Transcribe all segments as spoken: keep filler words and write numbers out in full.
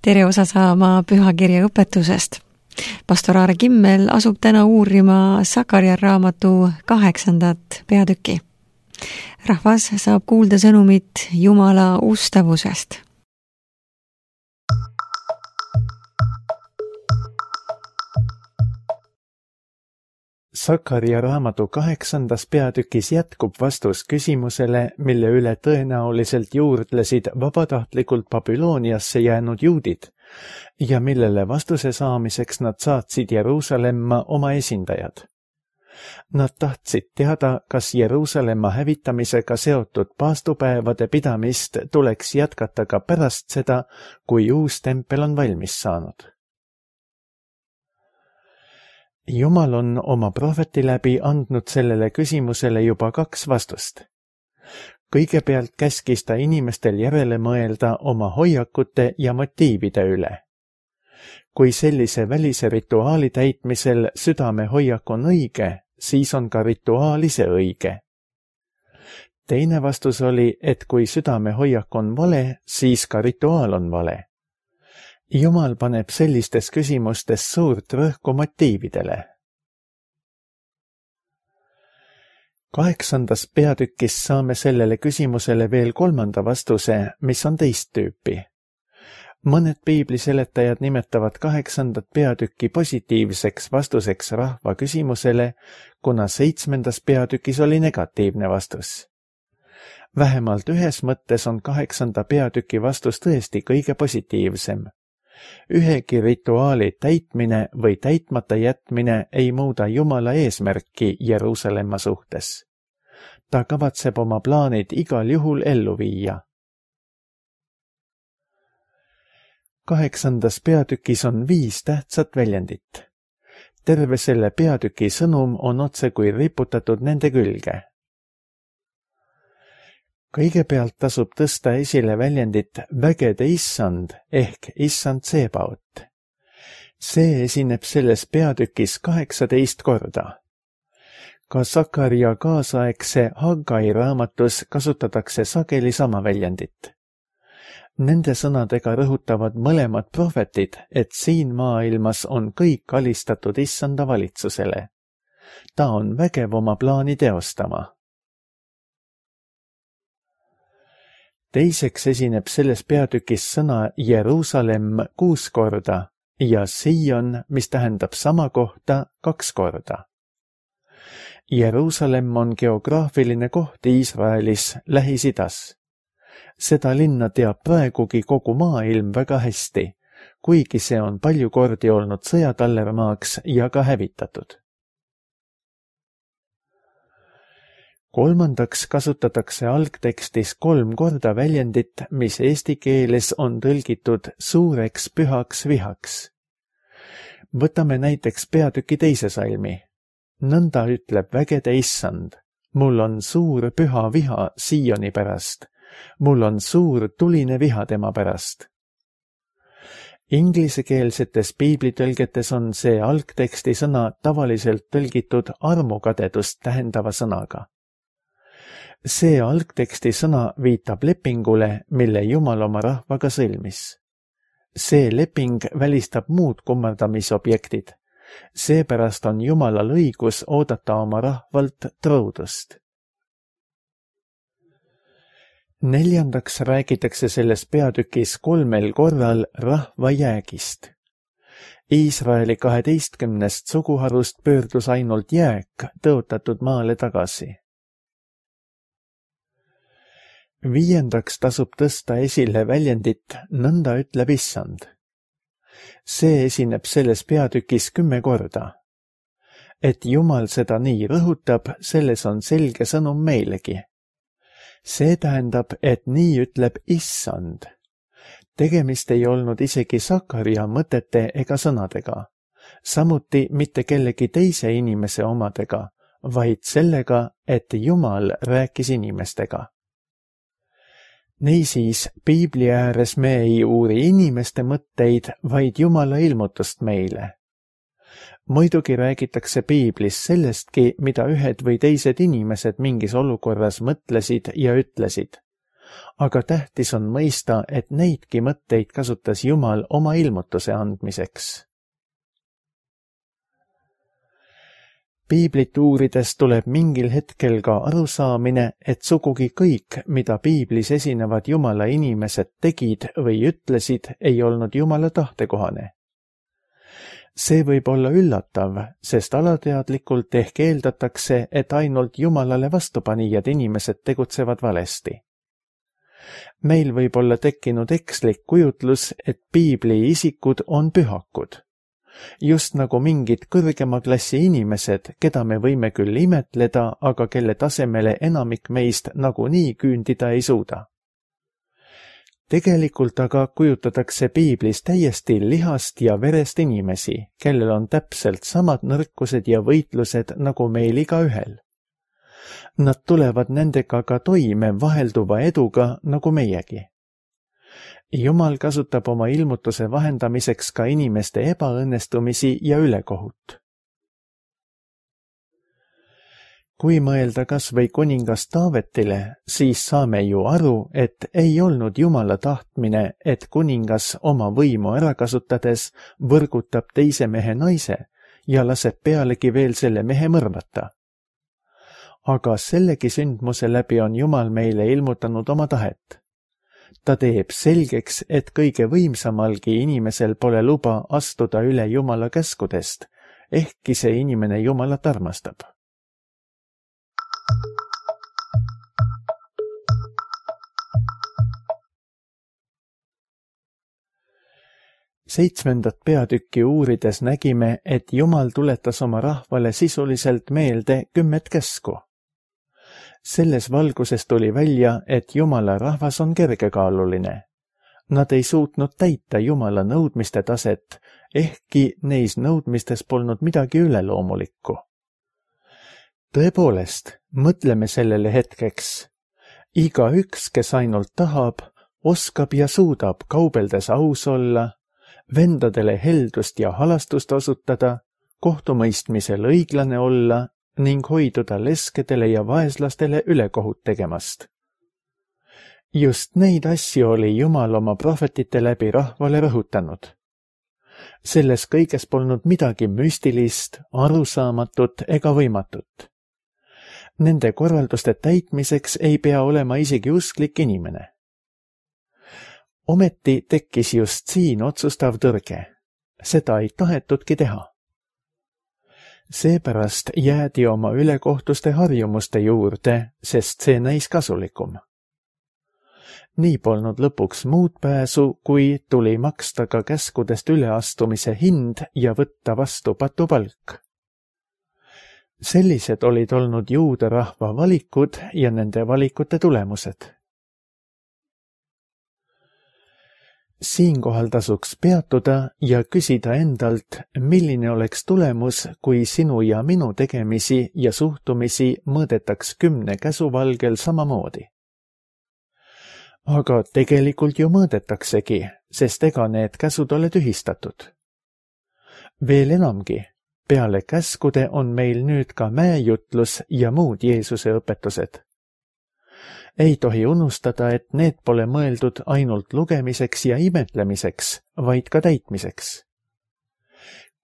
tere osa saama pühakirja õpetusest. Pastor Aare Kimmel asub täna uurima Sakaria raamatu kaheksandat peatükki. Rahvas saab kuulda sõnumit Jumala ustavusest. Sakaria raamatu kaheksandas peatükis jätkub vastus küsimusele, mille üle tõenäoliselt juurdlesid vabatahtlikult Babyloniasse jäänud juudid ja millele vastuse saamiseks nad saatsid Jeruusalemma oma esindajad. Nad tahtsid teada, kas Jeruusalemma hävitamisega seotud paastupäevade pidamist tuleks jätkata ka pärast seda, kui uus tempel on valmis saanud. Jumal on oma prohveti läbi andnud sellele küsimusele juba kaks vastust. Kõigepealt käskis ta inimestel järele mõelda oma hoiakute ja motiivide üle. Kui sellise välise rituaali täitmisel südame hoiak on õige, siis on ka rituaal ise õige. Teine vastus oli, et kui südame hoiak on vale, siis ka rituaal on vale. Jumal paneb sellistes küsimustes suurt rõhku motiividele. Kaheksandas peatükis saame sellele küsimusele veel kolmanda vastuse, mis on teist tüüpi. Mõned piibliseletajad nimetavad kaheksandat peatükki positiivseks vastuseks rahva küsimusele, kuna seitsmendas peatükis oli negatiivne vastus. Vähemalt ühes mõttes on kaheksanda peatüki vastus tõesti kõige positiivsem. Ühegi rituaali täitmine või täitmata jätmine ei muuda Jumala eesmärki Jeruusalemma suhtes. Ta kavatseb oma plaanid igal juhul ellu viia. Kaheksandas peatükis on viis tähtsat väljendit. Terve selle peatüki sõnum on otse kui riputatud nende külge. Kõigepealt tasub tõsta esile väljendit vägede issand ehk issand Tsebaot. See esineb selles peatükis kaheksateist korda. Ka Sakaria kaasaegse Haggai raamatus kasutatakse sageli sama väljendit. Nende sõnadega rõhutavad mõlemad prohvetid, et siin maailmas on kõik alistatud issanda valitsusele. Ta on vägev oma plaani teostama. Teiseks esineb selles peatükis sõna Jeruusalemm kuus korda ja Sion, mis tähendab sama kohta kaks korda. Jeruusalemm on geograafiline koht Iisraelis Lähis-Idas. Seda linna teab praegugi kogu maailm väga hästi, kuigi see on palju kordi olnud sõjatallermaaks ja ka hävitatud. Kolmandaks kasutatakse algtekstis kolm korda väljendit, mis eesti keeles on tõlgitud suureks pühaks vihaks. Võtame näiteks peatüki teise salmi. Nõnda ütleb vägede issand, mul on suur püha viha Sioni pärast, mul on suur tuline viha tema pärast. Inglisekeelsetes piiblitõlgetes on see algteksti sõna tavaliselt tõlgitud armukadedust tähendava sõnaga. See algteksti sõna viitab lepingule, mille Jumal oma rahvaga sõlmis. See leping välistab muud kummardamisobjektid. Seepärast on Jumalal õigus oodata oma rahvalt truudust. Neljandaks räägitakse selles peatükis kolmel korral rahva jäägist. Iisraeli kaheteistkümnest suguharust pöördus ainult jääk tõotatud maale tagasi. Viiendaks tasub tõsta esile väljendit nõnda ütleb issand. See esineb selles peatükis kümme korda. Et Jumal seda nii rõhutab, selles on selge sõnum meilegi. See tähendab, et nii ütleb issand. Tegemist ei olnud isegi Sakaria mõtete ega sõnadega, samuti mitte kellegi teise inimese omadega, vaid sellega, et Jumal rääkis inimestega. Niisiis, piibli ääres me ei uuri inimeste mõtteid, vaid Jumala ilmutust meile. Muidugi räägitakse piiblis sellestki, mida ühed või teised inimesed mingis olukorras mõtlesid ja ütlesid. aga tähtis on mõista, et neidki mõtteid kasutas Jumal oma ilmutuse andmiseks. Piiblit uurides tuleb mingil hetkel ka arusaamine, et sugugi kõik, mida piiblis esinevad Jumala inimesed tegid või ütlesid, ei olnud Jumala tahtekohane. See võib olla üllatav, sest alateadlikult ehk eeldatakse, et ainult Jumalale vastupanijad inimesed tegutsevad valesti. Meil võib olla tekkinud ekslik kujutlus, et piibli isikud on pühakud. Just nagu mingid kõrgema klassi inimesed, keda me võime küll imetleda, aga kelle tasemele enamik meist nagunii küündida ei suuda. Tegelikult aga kujutatakse piiblis täiesti lihast ja verest inimesi, kellel on täpselt samad nõrkused ja võitlused nagu meil igaühel. Nad tulevad nendega ka toime vahelduva eduga nagu meiegi. Jumal kasutab oma ilmutuse vahendamiseks ka inimeste ebaõnnestumisi ja ülekohut. Kui mõelda kas või kuningas Taavetile, siis saame ju aru, et ei olnud Jumala tahtmine, et kuningas oma võimu ära kasutades võrgutab teise mehe naise ja laseb pealegi veel selle mehe mõrvata. Aga sellegi sündmuse läbi on Jumal meile ilmutanud oma tahet. Ta teeb selgeks, et kõige võimsamalgi inimesel pole luba astuda üle Jumala käskudest, ehkki see inimene Jumalat armastab. Seitsmendat peatükki uurides nägime, et Jumal tuletas oma rahvale sisuliselt meelde kümmet käsku. Selles valguses tuli välja, et Jumala rahvas on kergekaaluline. Nad ei suutnud täita Jumala nõudmiste taset, ehkki neis nõudmistes polnud midagi üleloomulikku. Tõepoolest, mõtleme sellele hetkeks. Igaüks, kes ainult tahab, oskab ja suudab kaubeldes aus olla, vendadele heldust ja halastust osutada, kohtumõistmisel õiglane olla ning hoiduda leskedele ja vaeslastele ülekohut tegemast. Just neid asju oli Jumal oma prohvetite läbi rahvale rõhutanud. Selles kõiges polnud midagi müstilist, arusaamatut ega võimatut. Nende korralduste täitmiseks ei pea olema isegi usklik inimene. Ometi tekkis just siin otsustav tõrge. Seda ei tahetudki teha. Seepärast jäädi oma ülekohtuste harjumuste juurde, sest see näis kasulikum. Nii polnud lõpuks muud pääsu, kui tuli maksta ka käskudest üleastumise hind ja võtta vastu patupalk. Sellised olid olnud juuda rahva valikud ja nende valikute tulemused. Siinkohal tasuks peatuda ja küsida endalt, milline oleks tulemus, kui sinu ja minu tegemisi ja suhtumisi mõõdetaks kümne käsu valgel samamoodi. Aga tegelikult ju mõõdetaksegi, sest ega need käsud ole tühistatud. Veel enamgi, peale käskude on meil nüüd ka mäejutlus ja muud Jeesuse õpetused. Ei tohi unustada, et need pole mõeldud ainult lugemiseks ja imetlemiseks, vaid ka täitmiseks.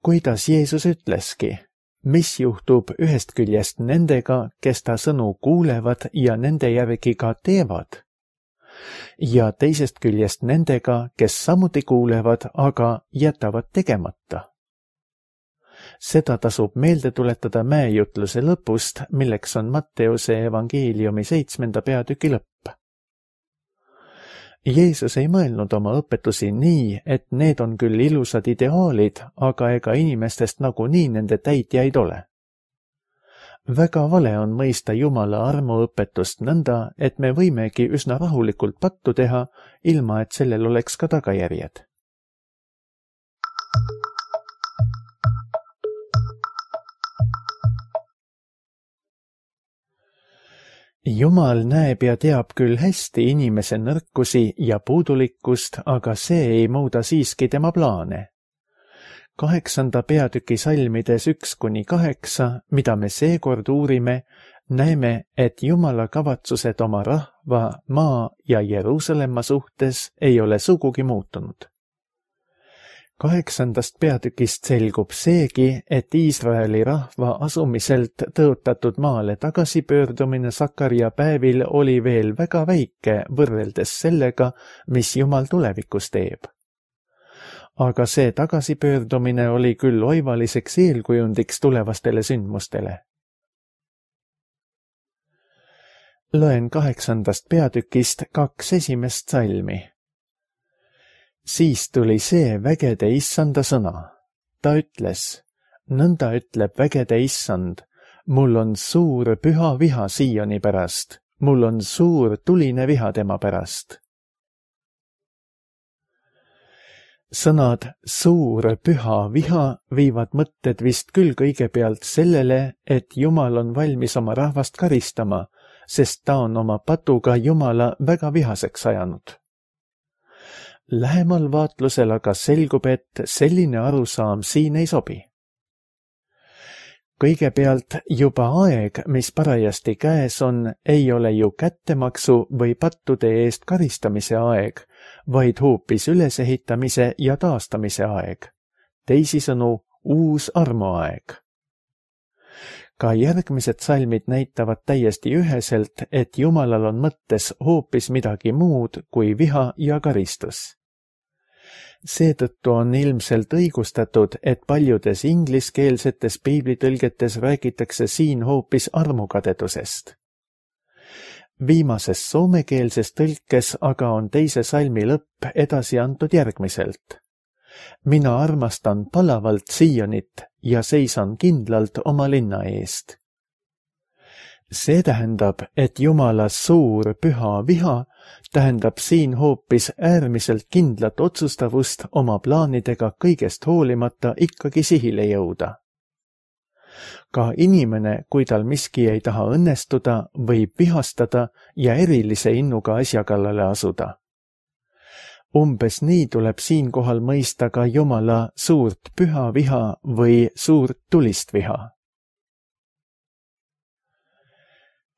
Kuidas Jeesus ütleski, mis juhtub ühest küljest nendega, kes ta sõnu kuulevad ja nende järgi ka teevad, ja teisest küljest nendega, kes samuti kuulevad, aga jätavad tegemata. Seda tasub meelde tuletada mäejutluse lõpust, milleks on Matteuse evangeeliumi seitsmenda peatüki lõpp. Jeesus ei mõelnud oma õpetusi nii, et need on küll ilusad ideaalid, aga ega inimestest nagunii nende täitjaid ole. Väga vale on mõista Jumala armuõpetust nõnda, et me võimegi üsna rahulikult pattu teha, ilma et sellel oleks ka tagajärjed. Jumal näeb ja teab küll hästi inimese nõrkusi ja puudulikkust, aga see ei muuda siiski tema plaane. Kaheksanda peatüki salmides üks kuni kaheksa, mida me seekord uurime, näeme, et Jumala kavatsused oma rahva, maa ja Jeruusalemma suhtes ei ole sugugi muutunud. Kaheksandast peatükist selgub seegi, et Iisraeli rahva asumiselt tõotatud maale tagasipöördumine Sakaria päevil oli veel väga väike võrreldes sellega, mis Jumal tulevikus teeb. Aga see tagasipöördumine oli küll oivaliseks eelkujundiks tulevastele sündmustele. Loen kaheksandast peatükist kaks esimest salmi. Siis tuli see vägede issanda sõna. Ta ütles, nõnda ütleb vägede issand, mul on suur püha viha Sioni pärast, mul on suur tuline viha tema pärast. Sõnad suur püha viha viivad mõtted vist küll kõigepealt sellele, et Jumal on valmis oma rahvast karistama, sest ta on oma patuga Jumala väga vihaseks ajanud. Lähemal vaatlusel aga selgub, et selline arusaam siin ei sobi. Kõigepealt juba aeg, mis parajasti käes on, ei ole ju kättemaksu või pattude eest karistamise aeg, vaid hoopis ülesehitamise ja taastamise aeg. Teisisõnu, uus armuaeg. Ka järgmised salmid näitavad täiesti üheselt, et Jumalal on mõttes hoopis midagi muud kui viha ja karistus. Seetõttu on ilmselt õigustatud, et paljudes ingliskeelsetes piiblitõlgetes räägitakse siin hoopis armukadedusest. Viimases soomekeelses tõlkes aga on teise salmi lõpp edasi antud järgmiselt. Mina armastan palavalt Sionit ja seisan kindlalt oma linna eest. See tähendab, et Jumala suur püha viha tähendab siin hoopis äärmiselt kindlat otsustavust oma plaanidega kõigest hoolimata ikkagi sihile jõuda. Ka inimene, kui tal miski ei taha õnnestuda, võib vihastada ja erilise innuga asja kallale asuda. Umbes nii tuleb siinkohal mõista ka Jumala suurt püha viha või suurt tulist viha.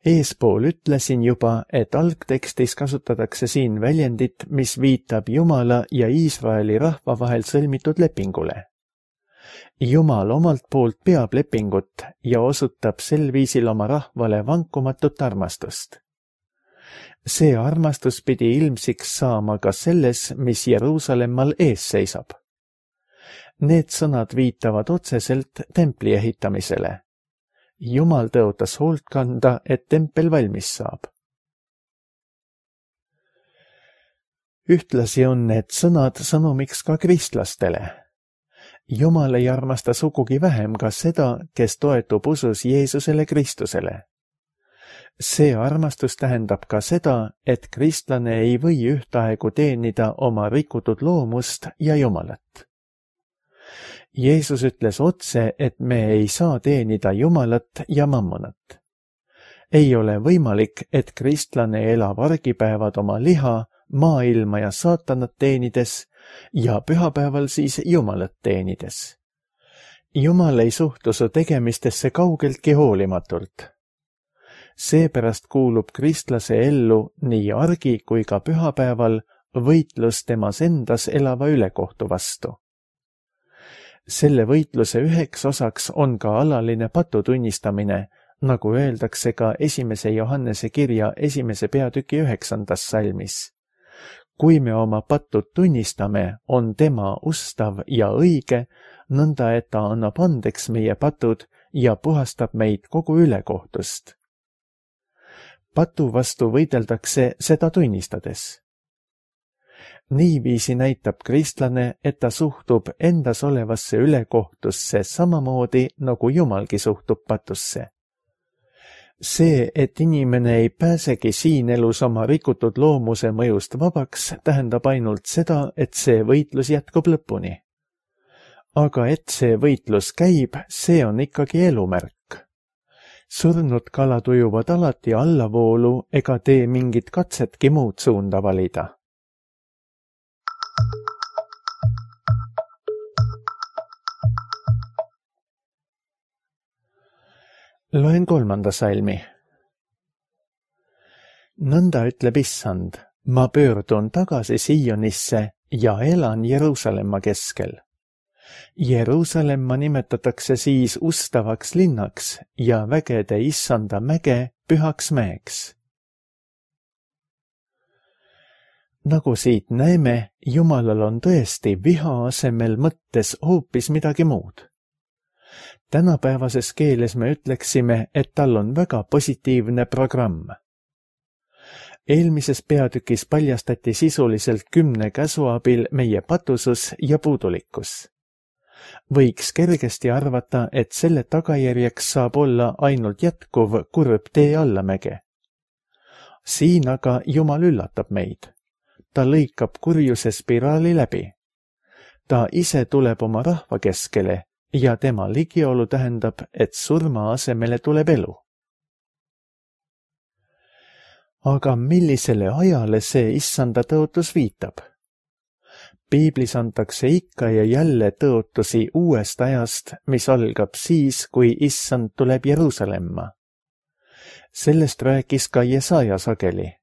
Eespool ütlesin juba, et algtekstis kasutatakse siin väljendit, mis viitab Jumala ja Iisraeli rahva vahel sõlmitud lepingule. Jumal omalt poolt peab lepingut ja osutab sel viisil oma rahvale vankumatut armastust. See armastus pidi ilmsiks saama ka selles, mis Jeruusalemmal ees seisab. Need sõnad viitavad otseselt templi ehitamisele. Jumal tõotas hoolt kanda, et tempel valmis saab. Ühtlasi on need sõnad sõnumiks ka kristlastele. Jumal ei armasta sugugi vähem ka seda, kes toetub usus Jeesusele Kristusele. See armastus tähendab ka seda, et kristlane ei või ühtaegu teenida oma rikutud loomust ja Jumalat. Jeesus ütles otse, et me ei saa teenida Jumalat ja mammonat. Ei ole võimalik, et kristlane elab argipäevad oma liha, maailma ja saatanat teenides ja pühapäeval siis Jumalat teenides. Jumal ei suhtu su tegemistesse kaugeltki hoolimatult. Seepärast kuulub kristlase ellu nii argi kui ka pühapäeval võitlus temas endas elava ülekohtu vastu. Selle võitluse üheks osaks on ka alaline patu tunnistamine, nagu öeldakse ka esimese Johannese kirja esimese peatüki üheksandas salmis. Kui me oma patud tunnistame, on tema ustav ja õige, nõnda et ta annab andeks meie patud ja puhastab meid kogu ülekohtust. Patu vastu võideldakse seda tunnistades. Niiviisi näitab kristlane, et ta suhtub endas olevasse ülekohtusse samamoodi, nagu Jumalgi suhtub patusse. See, et inimene ei pääsegi siin elus oma rikutud loomuse mõjust vabaks, tähendab ainult seda, et see võitlus jätkub lõpuni. Aga et see võitlus käib, see on ikkagi elumärk. Surnud kalad ujuvad alati allavoolu ega tee mingit katsetki muud suunda valida. Loen kolmanda salmi. nõnda ütleb Issand, ma pöördun tagasi Siionisse ja elan Jeruusalemma keskel. Jeruusalemma nimetatakse siis ustavaks linnaks ja vägede Issanda mäge pühaks mäeks. Nagu siit näeme, Jumalal on tõesti viha asemel mõttes hoopis midagi muud. Tänapäevases keeles me ütleksime, et tal on väga positiivne programm. Eelmises peatükis paljastati sisuliselt kümne käsu abil meie patusus ja puudulikkus. Võiks kergesti arvata, et selle tagajärjeks saab olla ainult jätkuv kurb tee allamäge. Siin aga Jumal üllatab meid. Ta lõikab kurjuse spiraali läbi. Ta ise tuleb oma rahva keskele ja tema ligiolu tähendab, et surma asemele tuleb elu. Aga millisele ajale see Issanda tõotus viitab? Piiblis antakse ikka ja jälle tõotusi uuest ajast, mis algab siis, kui Issand tuleb Jeruusalemma. Sellest rääkis ka Jesaja sageli.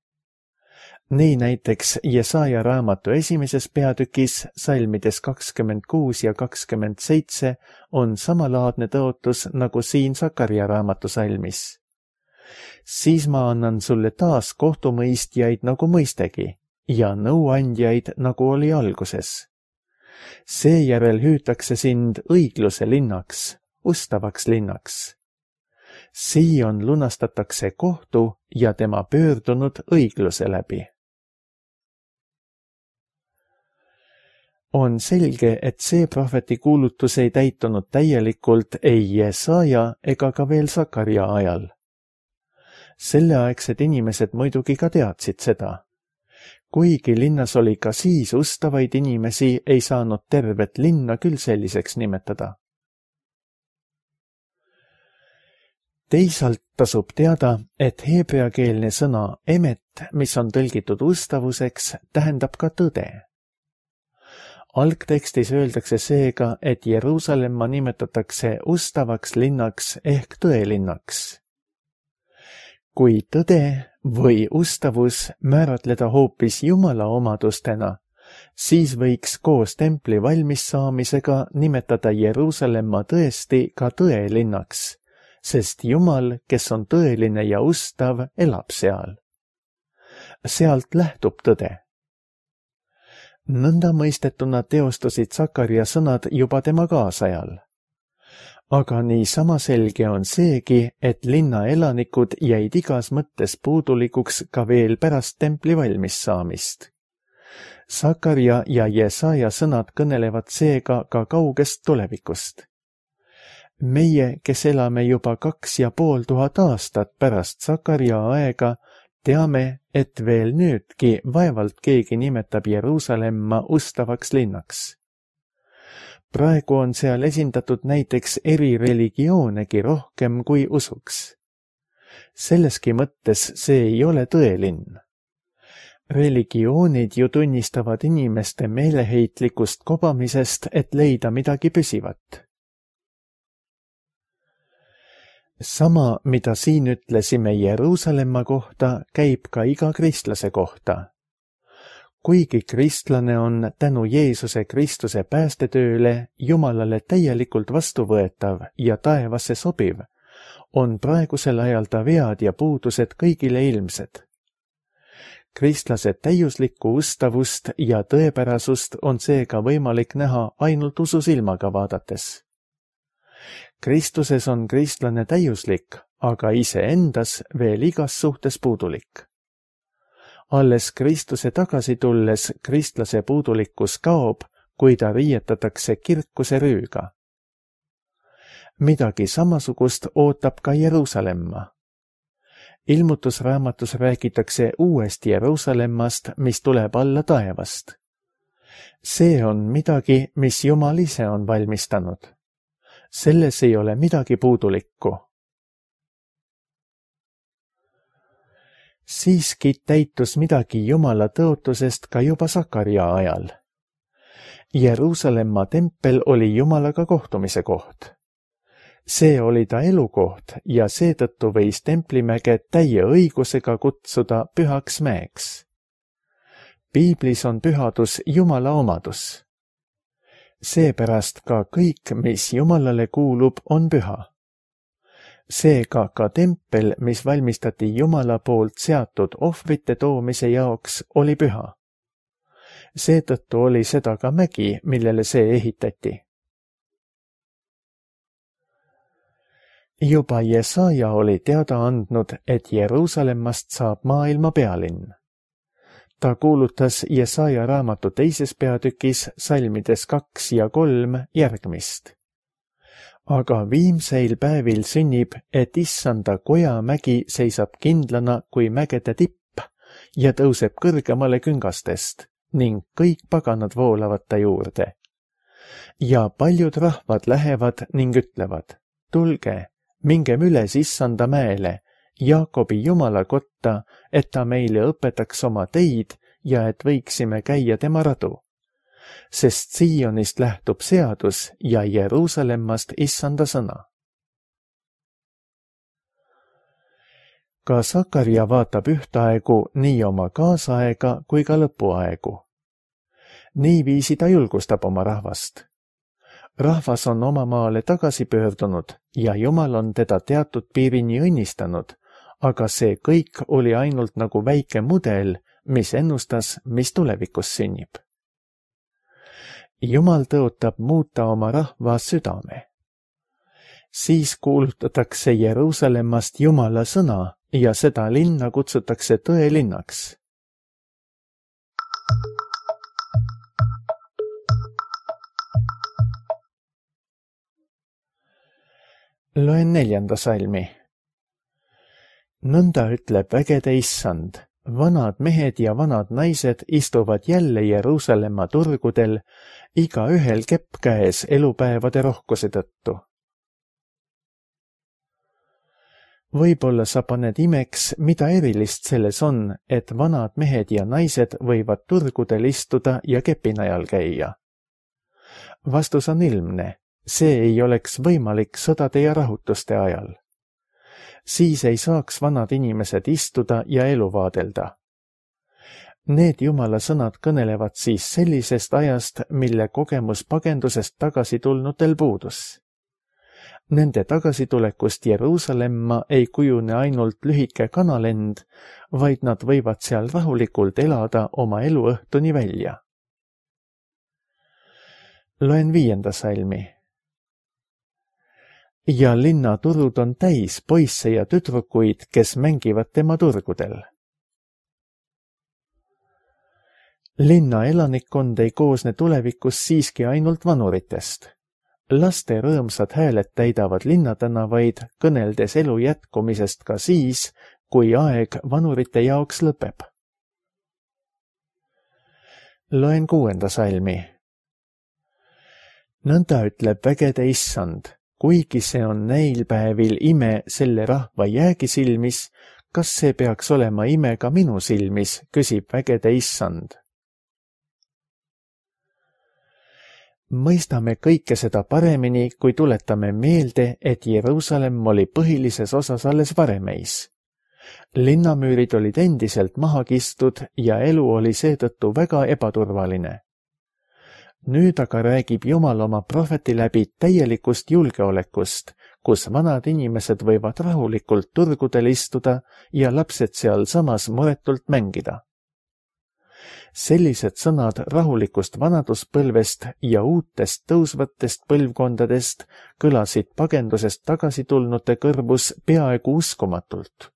Nii näiteks Jesaja raamatu esimeses peatükis, salmides kakskümmend kuus ja kakskümmend seitse, on samalaadne tõotus nagu siin Sakarja raamatu salmis. Siis ma annan sulle taas kohtumõistjaid nagu mõistegi ja nõuandjaid nagu oli alguses. Seejärel hüütakse sind õigluse linnaks, ustavaks linnaks. Siion lunastatakse kohtu ja tema pöördunud õigluse läbi. On selge, et see prohveti kuulutus ei täitunud täielikult ei Jesaja ega ka veel Sakarja ajal. Selleaegsed inimesed muidugi ka teadsid seda. Kuigi linnas oli ka siis ustavaid inimesi, ei saanud tervet linna küll selliseks nimetada. Teisalt tasub teada, et heebreakeelne sõna emet, mis on tõlgitud ustavuseks, tähendab ka tõde. Algtekstis öeldakse seega, et Jeruusalemma nimetatakse ustavaks linnaks ehk tõelinnaks. Kui tõde või ustavus määratleda hoopis Jumala omadustena, siis võiks koos templi valmis saamisega nimetada Jeruusalemma tõesti ka tõelinnaks, sest Jumal, kes on tõeline ja ustav, elab seal. Sealt lähtub tõde. Nõnda mõistetuna teostusid Sakarja sõnad juba tema kaasajal. Aga nii sama selge on seegi, et linna elanikud jäid igas mõttes puudulikuks ka veel pärast templi valmis saamist. Sakarja ja Jesaja sõnad kõnelevad seega ka kaugest tulevikust. Meie, kes elame juba kaks ja pool tuhat aastat pärast Sakarja aega, teame, et veel nüüdki vaevalt keegi nimetab Jeruusalemma ustavaks linnaks. Praegu on seal esindatud näiteks eri religioonegi rohkem kui usuks. Selleski mõttes see ei ole tõelinn. Religioonid ju tunnistavad inimeste meeleheitlikust kobamisest, et leida midagi püsivat. Sama, mida siin ütlesime Jeruusalemma kohta, käib ka iga kristlase kohta. Kuigi kristlane on tänu Jeesuse Kristuse päästetööle Jumalale täielikult vastuvõetav ja taevasse sobiv, on praegusel ajal ta vead ja puudused kõigile ilmsed. Kristlase täiuslikku ustavust ja tõepärasust on seega võimalik näha ainult ususilmaga vaadates. Kristuses on kristlane täiuslik, aga iseendas veel igas suhtes puudulik. Alles Kristuse tagasi tulles kristlase puudulikkus kaob, kui ta riietatakse kirkuse rüüga. Midagi samasugust ootab ka Jeruusalemma. Ilmutusraamatus räägitakse uuest Jeruusalemmast, mis tuleb alla taevast. See on midagi, mis Jumal ise on valmistanud. Selles ei ole midagi puudulikku. Siiski täitus midagi Jumala tõotusest ka juba Sakarja ajal. Jeruusalemma tempel oli Jumalaga kohtumise koht. see oli ta elukoht ja seetõttu võis Templimäge täie õigusega kutsuda pühaks mäeks. Piiblis on pühadus Jumala omadus. Seepärast ka kõik, mis Jumalale kuulub, on püha. Seega ka tempel, mis valmistati Jumala poolt seatud ohvrite toomise jaoks, oli püha. Seetõttu oli seda ka mägi, millele see ehitati. Juba Jesaja oli teada andnud, et Jeruusalemmast saab maailma pealinn. Ta kuulutas Jesaja raamatu teises peatükis salmides kaks ja kolm järgmist. Aga viimseil päevil sünnib, et issanda Kojamägi seisab kindlana kui mägede tipp ja tõuseb kõrgemale küngastest ning kõik paganad voolavad ta juurde. Ja paljud rahvad lähevad ning ütlevad, tulge, mingem üles issanda mäele, Jaakobi Jumala kotta, et ta meile õpetaks oma teid ja et võiksime käia tema radu. Sest Siionist lähtub seadus ja Jeruusalemmast issanda sõna. Ka Sakarja vaatab ühtaegu nii oma kaasaega kui ka lõpuaegu. Niiviisi ta julgustab oma rahvast. Rahvas on oma maale tagasi pöördunud ja Jumal on teda teatud piirini õnnistanud, aga see kõik oli ainult nagu väike mudel, mis ennustas, mis tulevikus sünnib. Jumal tõotab muuta oma rahva südame. Siis kuulutatakse Jeruusalemmast Jumala sõna ja seda linna kutsutakse tõelinnaks. Loen neljanda salmi. Nõnda ütleb vägede issand, vanad mehed ja vanad naised istuvad jälle Jeruusalemma turgudel, iga ühel kepp käes elupäevade rohkuse tõttu. Võib-olla sa paned imeks, mida erilist selles on, et vanad mehed ja naised võivad turgudel istuda ja kepinajal käia. Vastus on ilmne. See ei oleks võimalik sõdade ja rahutuste ajal. Siis ei saaks vanad inimesed istuda ja elu vaadelda. Need Jumala sõnad kõnelevad siis sellisest ajast, mille kogemus pagendusest tagasi tulnutel puudus. Nende tagasitulekust Jeruusalemma ei kujune ainult lühike kanalend, vaid nad võivad seal rahulikult elada oma eluõhtuni välja. Loen viienda salmi. Ja linna turud on täis poisse ja tüdrukuid, kes mängivad tema turgudel. Linna elanikkond ei koosne tulevikus siiski ainult vanuritest. Laste rõõmsad hääled täidavad linnatänavaid, kõneldes elu jätkumisest ka siis, kui aeg vanurite jaoks lõpeb. Loen kuuenda salmi. Nõnda ütleb vägede issand. Kuigi see on neil päevil ime selle rahva jäägi silmis, kas see peaks olema ime ka minu silmis, küsib vägede issand. Mõistame kõike seda paremini, kui tuletame meelde, et Jeruusalemm oli põhilises osas alles varemeis. Linnamüürid olid endiselt maha kistud ja elu oli seetõttu väga ebaturvaline. Nüüd aga räägib Jumal oma prohveti läbi täielikust julgeolekust, kus vanad inimesed võivad rahulikult turgudel istuda ja lapsed seal samas muretult mängida. Sellised sõnad rahulikust vanaduspõlvest ja uutest tõusvatest põlvkondadest kõlasid pagendusest tagasi tulnute kõrvus peaaegu uskumatult.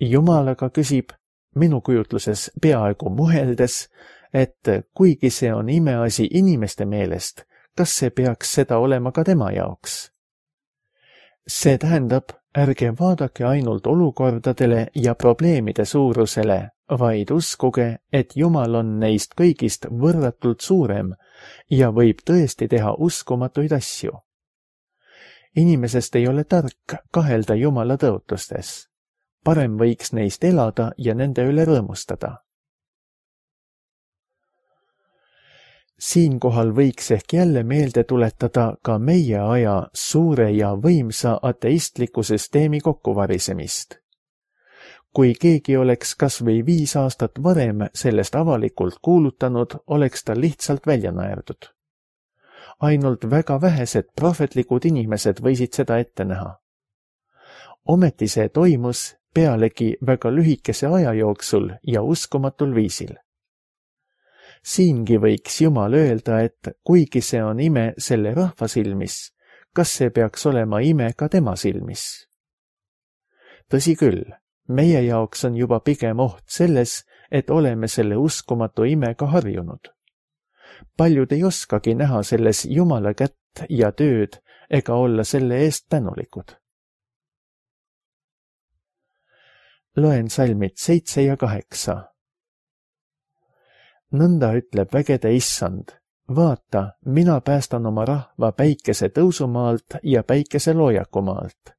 Jumal aga küsib, minu kujutluses peaaegu muheldes, et kuigi see on imeasi inimeste meelest, kas see peaks seda olema ka tema jaoks? See tähendab, ärge vaadake ainult olukordadele ja probleemide suurusele, vaid uskuge, et Jumal on neist kõigist võrratult suurem ja võib tõesti teha uskumatuid asju. Inimesest ei ole tark kahelda Jumala tõotustes. Parem võiks neist elada ja nende üle rõõmustada. Siinkohal võiks ehk jälle meelde tuletada ka meie aja suure ja võimsa ateistliku süsteemi kokkuvarisemist. Kui keegi oleks kas või viis aastat varem sellest avalikult kuulutanud, oleks ta lihtsalt välja naerdud. Ainult väga vähesed prohvetlikud inimesed võisid seda ette näha. Ometi see toimus pealegi väga lühikese aja jooksul ja uskumatul viisil. Siingi võiks Jumal öelda, et kuigi see on ime selle rahva silmis, kas see peaks olema ime ka tema silmis? Tõsi küll, meie jaoks on juba pigem oht selles, et oleme selle uskumatu imega harjunud. Paljud ei oskagi näha selles Jumala kätt ja tööd ega olla selle eest tänulikud. Loen salmid seitse ja kaheksa. Nõnda ütleb vägede issand, vaata, mina päästan oma rahva päikese tõusumaalt ja päikese loojakumaalt.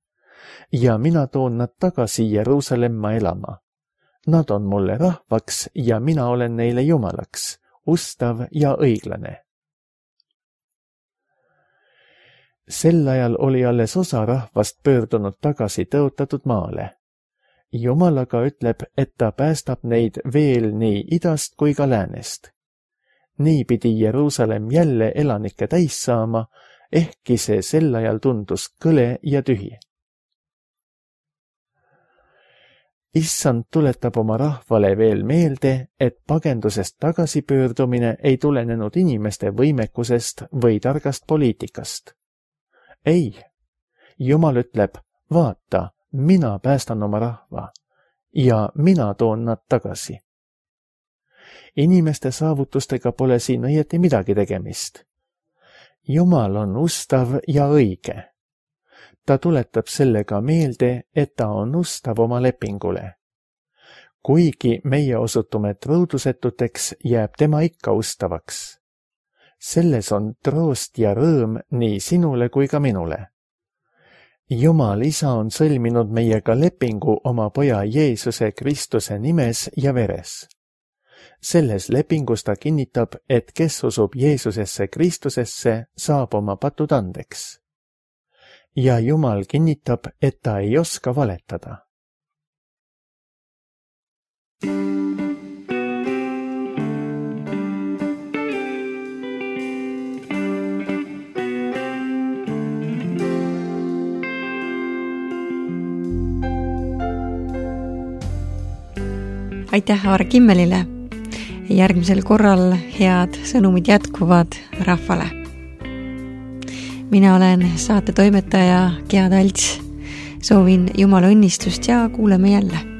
Ja mina toon nad tagasi Jeruusalemma elama. Nad on mulle rahvaks ja mina olen neile Jumalaks, ustav ja õiglane. Sel ajal oli alles osa rahvast pöördunud tagasi tõotatud maale. Jumal aga ütleb, et ta päästab neid veel nii idast kui ka läänest. Nii pidi Jeruusalemm jälle elanikke täis saama, ehkki see sel ajal tundus kõle ja tühi. Issand tuletab oma rahvale veel meelde, et pagendusest tagasipöördumine ei tulenenud inimeste võimekusest või targast poliitikast. Ei, Jumal ütleb, vaata, mina päästan oma rahva ja mina toon nad tagasi. Inimeste saavutustega pole siin õieti midagi tegemist. Jumal on ustav ja õige. Ta tuletab sellega meelde, et ta on ustav oma lepingule. Kuigi meie osutume truudusetuteks, jääb tema ikka ustavaks. Selles on troost ja rõõm nii sinule kui ka minule. Jumal Isa on sõlminud meiega lepingu oma poja Jeesuse Kristuse nimes ja veres. Selles lepingus ta kinnitab, et kes usub Jeesusesse Kristusesse, saab oma patud andeks. Ja Jumal kinnitab, et ta ei oska valetada. Aitäh Aare Kimmelile. Järgmisel korral head sõnumid jätkuvad rahvale. Mina olen saate toimetaja Gea Talts. Soovin Jumala õnnistust ja kuuleme jälle.